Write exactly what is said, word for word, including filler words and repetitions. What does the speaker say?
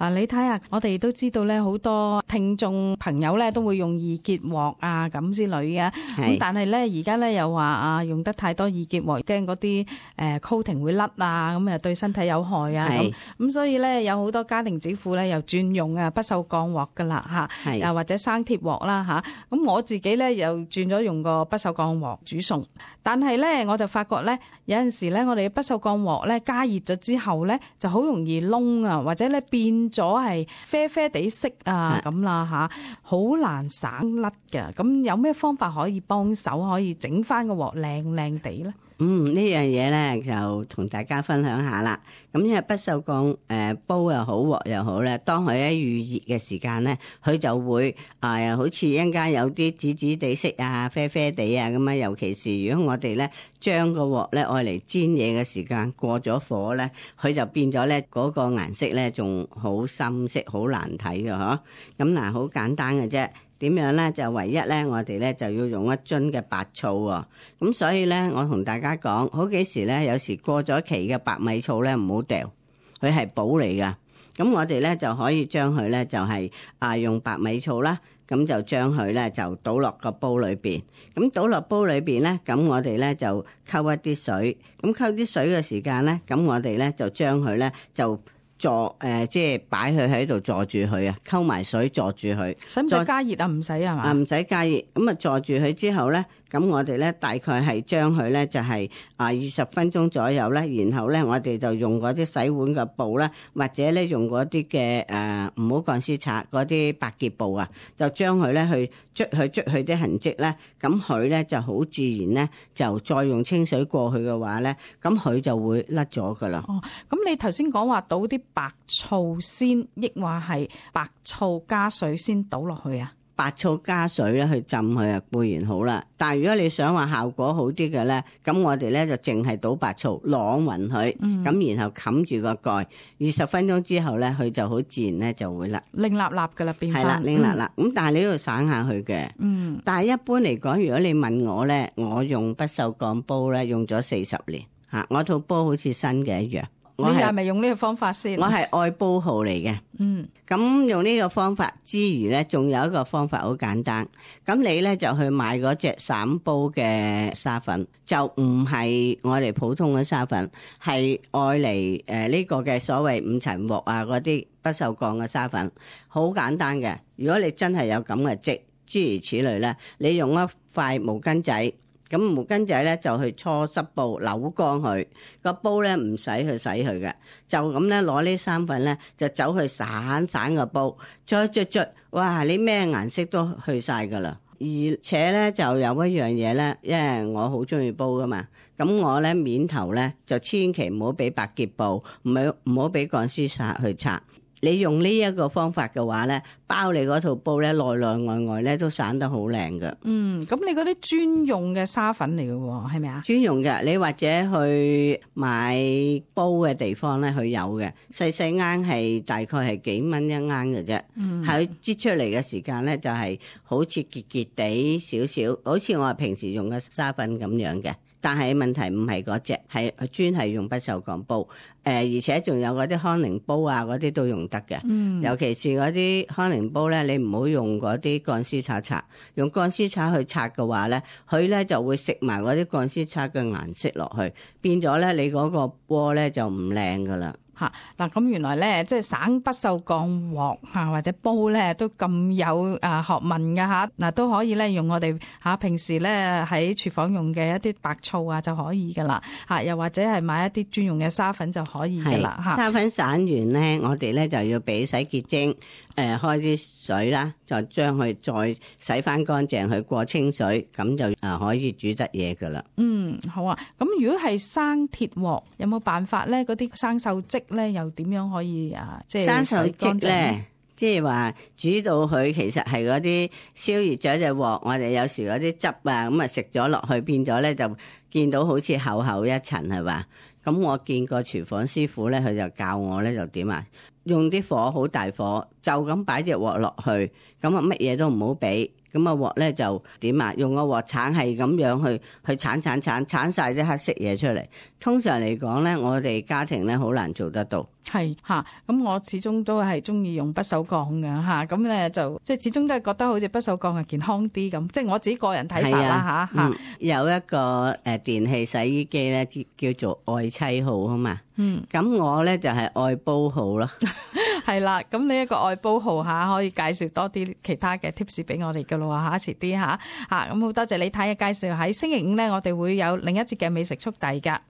嗱，你睇下，我哋都知道咧，好多聽眾朋友咧都會用易潔鑊啊咁之類嘅。咁但係咧，而家咧又話啊，用得太多易潔鑊，驚嗰啲誒 coating 會甩啊，咁啊對身體有害啊。咁咁所以咧，有好多家庭主婦咧又轉用啊不鏽鋼鑊噶啦嚇，又或者生鐵鑊啦嚇。咁我自己咧又轉咗用個不鏽鋼鑊煮餸，但係咧我就發覺咧有陣時咧，我哋嘅不鏽鋼鑊咧加熱咗之後咧就好容易燶啊，或者咧變咗係啡啡地色啊咁啦嚇，好難省甩嘅。咁有咩方法可以幫手，可以整翻個鑊靚靚地咧？嗯，呢樣嘢咧就同大家分享下啦。咁因為不鏽鋼誒煲又好鑊又好咧，當佢喺預熱嘅時間咧，佢就會啊、呃、好似一陣間有啲紫紫地色啊、啡啡地啊咁啊。尤其是如果我哋咧將個鑊咧愛嚟煎嘢嘅時間過咗火咧，佢就變咗咧嗰個顏色咧仲好深色，好難睇嘅嗬。咁嗱，好簡單嘅啫。點樣咧？就唯一咧，我哋咧就要用一樽嘅白醋喎。咁所以咧，我同大家講，好幾時咧，有時過咗期嘅白米醋咧，唔好掉，佢係寶嚟噶。咁我哋咧就可以將佢咧就係啊用白米醋啦，咁就將佢咧就倒落個煲裏邊。咁倒落煲裏邊咧，咁我哋咧就溝一啲水。咁溝啲水嘅時間咧，咁我哋咧就將佢咧就。坐誒，即係擺佢喺度坐住佢啊，溝埋水坐住佢。使唔使加熱啊？唔使係嘛？啊，唔使加熱。咁啊，坐住佢之後咧，咁我哋咧大概係將佢咧就係啊二十分鐘左右咧，然後咧我哋就用嗰啲洗碗嘅布啦，或者咧用嗰啲嘅誒唔好鋼絲刷嗰啲百潔布啊，就將佢咧去捽去捽去啲痕跡咧，咁佢咧就好自然咧，就再用清水過去嘅話咧，咁佢就會甩咗噶啦。哦，咁你頭先講話倒啲白醋先，抑或係白醋加水先倒落去啊？白醋加水咧去浸佢啊，固然好啦。但係如果你想話效果好啲嘅咧，咁我哋咧就淨係倒白醋，啷勻佢，咁、嗯、然後冚住個蓋，二十分鐘之後咧，佢就好自然咧就會啦，擰立立噶啦，變翻。係啦，擰立立。咁、嗯、但係你都要省下去嘅。嗯。但係一般嚟講，如果你問我咧，我用不鏽鋼煲咧，用咗四十年嚇，我套煲好似新嘅一樣。你係咪用呢個方法先？我係愛煲號嚟嘅。嗯，咁用呢個方法之餘咧，仲有一個方法好簡單。咁你咧就去買嗰隻散煲嘅沙粉，就唔係我哋普通嘅沙粉，係愛嚟誒呢個嘅所謂五層鑊啊嗰啲不鏽鋼嘅沙粉，好簡單嘅。如果你真係有咁嘅積，諸如此類咧，你用一塊毛巾仔。咁毛巾仔咧就去搓濕布扭乾佢，個煲咧唔使去洗佢嘅，就咁咧攞呢三份咧就走去散散個煲，再捽捽，哇！你咩顏色都去晒噶啦。而且咧就有一樣嘢咧，因為我好中意煲噶嘛，咁我咧面頭咧就千祈唔好俾百潔布，唔好唔好俾鋼絲刷去擦。你用呢一個方法嘅話咧，包你嗰套煲咧，內內外外咧都散得好靚㗎。嗯，咁你嗰啲專用嘅沙粉嚟嘅喎，係咪啊？專用嘅，你或者去買煲嘅地方咧，佢有嘅，細細罌係大概係幾蚊一罌嘅啫。嗯，喺擠出嚟嘅時間咧，就係好似結結地少少，好似我平時用嘅沙粉咁樣嘅。但係問題唔係嗰隻，係專係用不鏽鋼煲，誒、呃、而且仲有嗰啲康寧煲啊，嗰啲都用得嘅。嗯，尤其是嗰啲康寧煲咧，你唔好用嗰啲鋼絲刷刷，用鋼絲刷去刷嘅話咧，佢咧就會食埋嗰啲鋼絲刷嘅顏色落去，變咗咧你嗰個鍋咧就唔靚噶啦。嚇嗱，咁原來咧，即係省不鏽鋼鑊嚇或者煲咧，都咁有啊學問㗎嚇。嗱，都可以咧用我哋嚇平時咧喺廚房用嘅一啲白醋啊就可以㗎啦嚇，又或者係買一啲專用嘅沙粉就可以㗎啦嚇。沙粉散完咧，我哋咧就要俾洗潔精，誒、呃、開啲水啦，就將佢再洗翻乾淨，去過清水，咁就啊可以煮得嘢㗎啦。嗯，好啊。咁如果係生鐵鑊，有冇辦法咧？嗰啲生鏽跡咧，又點樣可以啊？即係生鏽跡咧，即係話煮到佢其實係嗰啲燒熱咗隻鑊，我哋有時嗰啲汁啊，咁啊食咗落去，變咗咧就見到好似厚厚一層係嘛？咁我見過廚房師傅咧，佢就教我咧就點啊？用啲火好大火，就咁擺隻鑊落去，咁啊乜嘢都唔好俾，咁啊鑊咧就點啊？用個鑊鏟係咁樣去去鏟鏟鏟鏟晒啲黑色嘢出嚟。通常嚟講咧，我哋家庭咧好難做得到。係吓，咁我始終都係中意用不鏽鋼嘅吓，咁咧就即係始終都係覺得好似不鏽鋼係健康啲咁，即係我自己個人睇法啦吓吓。有一個誒電器洗衣機咧，叫做愛妻號啊嘛。嗯，咁我咧就係愛煲號咯。係啦，咁呢一個愛煲號吓，可以介紹多啲其他嘅 tips 俾我哋噶咯吓，遲啲吓吓，咁好多謝李太嘅介紹。喺星期五咧，我哋會有另一節嘅美食速遞噶。